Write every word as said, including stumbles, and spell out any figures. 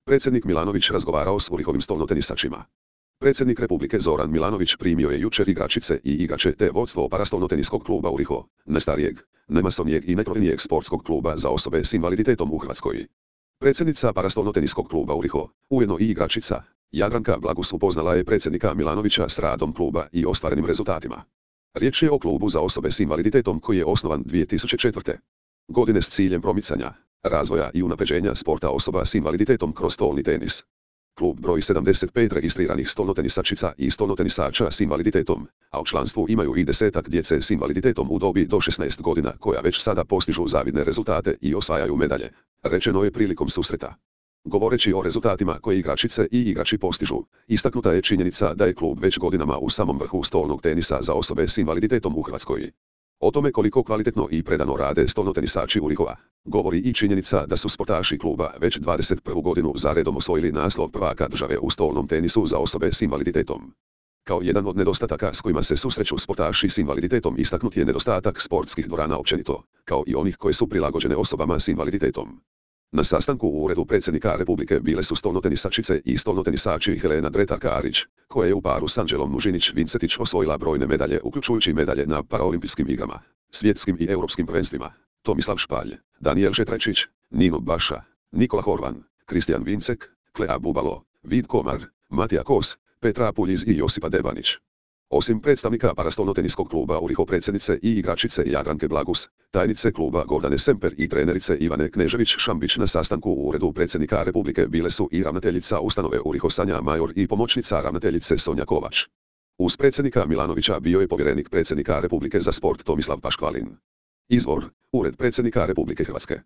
Predsjednik Milanović razgovarao s Urihovim stolnotenisačima. Predsjednik Republike Zoran Milanović primio je jučer igračice i igrače te vodstvo parastolnoteniskog kluba Uriho, najstarijeg, najmasovnijeg i najprotivnijeg sportskog kluba za osobe s invaliditetom u Hrvatskoj. Predsjednica parastolnoteniskog kluba Uriho, ujedno i igračica, Jadranka Blagus upoznala je predsjednika Milanovića s radom kluba i ostvarenim rezultatima. Riječ je o klubu za osobe s invaliditetom koji je osnovan dvije tisuće četvrte. godine s ciljem promicanja, razvoja i unapređenja sporta osoba s invaliditetom kroz stolni tenis. Klub broji sedamdeset pet registriranih stolnotenisačica i stolnotenisača s invaliditetom, a u članstvu imaju i desetak djece s invaliditetom u dobi do šesnaest godina koja već sada postižu zavidne rezultate i osvajaju medalje, rečeno je prilikom susreta. Govoreći o rezultatima koje igračice i igrači postižu, istaknuta je činjenica da je klub već godinama u samom vrhu stolnog tenisa za osobe s invaliditetom u Hrvatskoj. O tome koliko kvalitetno i predano rade stolnotenisači Urihova, govori i činjenica da su sportaši kluba već dvadeset prvu godinu za redom osvojili naslov prvaka države u stolnom tenisu za osobe s invaliditetom. Kao jedan od nedostataka s kojima se susreću sportaši s invaliditetom istaknut je nedostatak sportskih dvorana općenito, kao i onih koje su prilagođene osobama s invaliditetom. Na sastanku u Uredu predsjednika Republike bile su stolnotenisačice i stolnotenisači Helena Dretar-Karić, koja je u paru s Anđelom Mužinić-Vincetić osvojila brojne medalje uključujući medalje na paraolimpijskim igrama, svjetskim i europskim prvenstvima, Tomislav Špalj, Danijel Žetrečić, Nino Baša, Nikola Horvan, Kristijan Vincek, Klea Bubalo, Vid Komar, Matija Kos, Petra Puljiz i Josipa Debanić. Osim predstavnika parastolnoteniskog kluba Uriho predsjednice i igračice Jadranke Blagus, tajnice kluba Gordane Semper i trenerice Ivane Knežević-Šambić na sastanku u Uredu predsjednika Republike bile su i ravnateljica ustanove Uriho Sanja Major i pomoćnica ravnateljice Sonja Kovač. Uz predsjednika Milanovića bio je povjerenik predsjednika Republike za sport Tomislav Paškvalin. Izvor: Ured predsjednika Republike Hrvatske.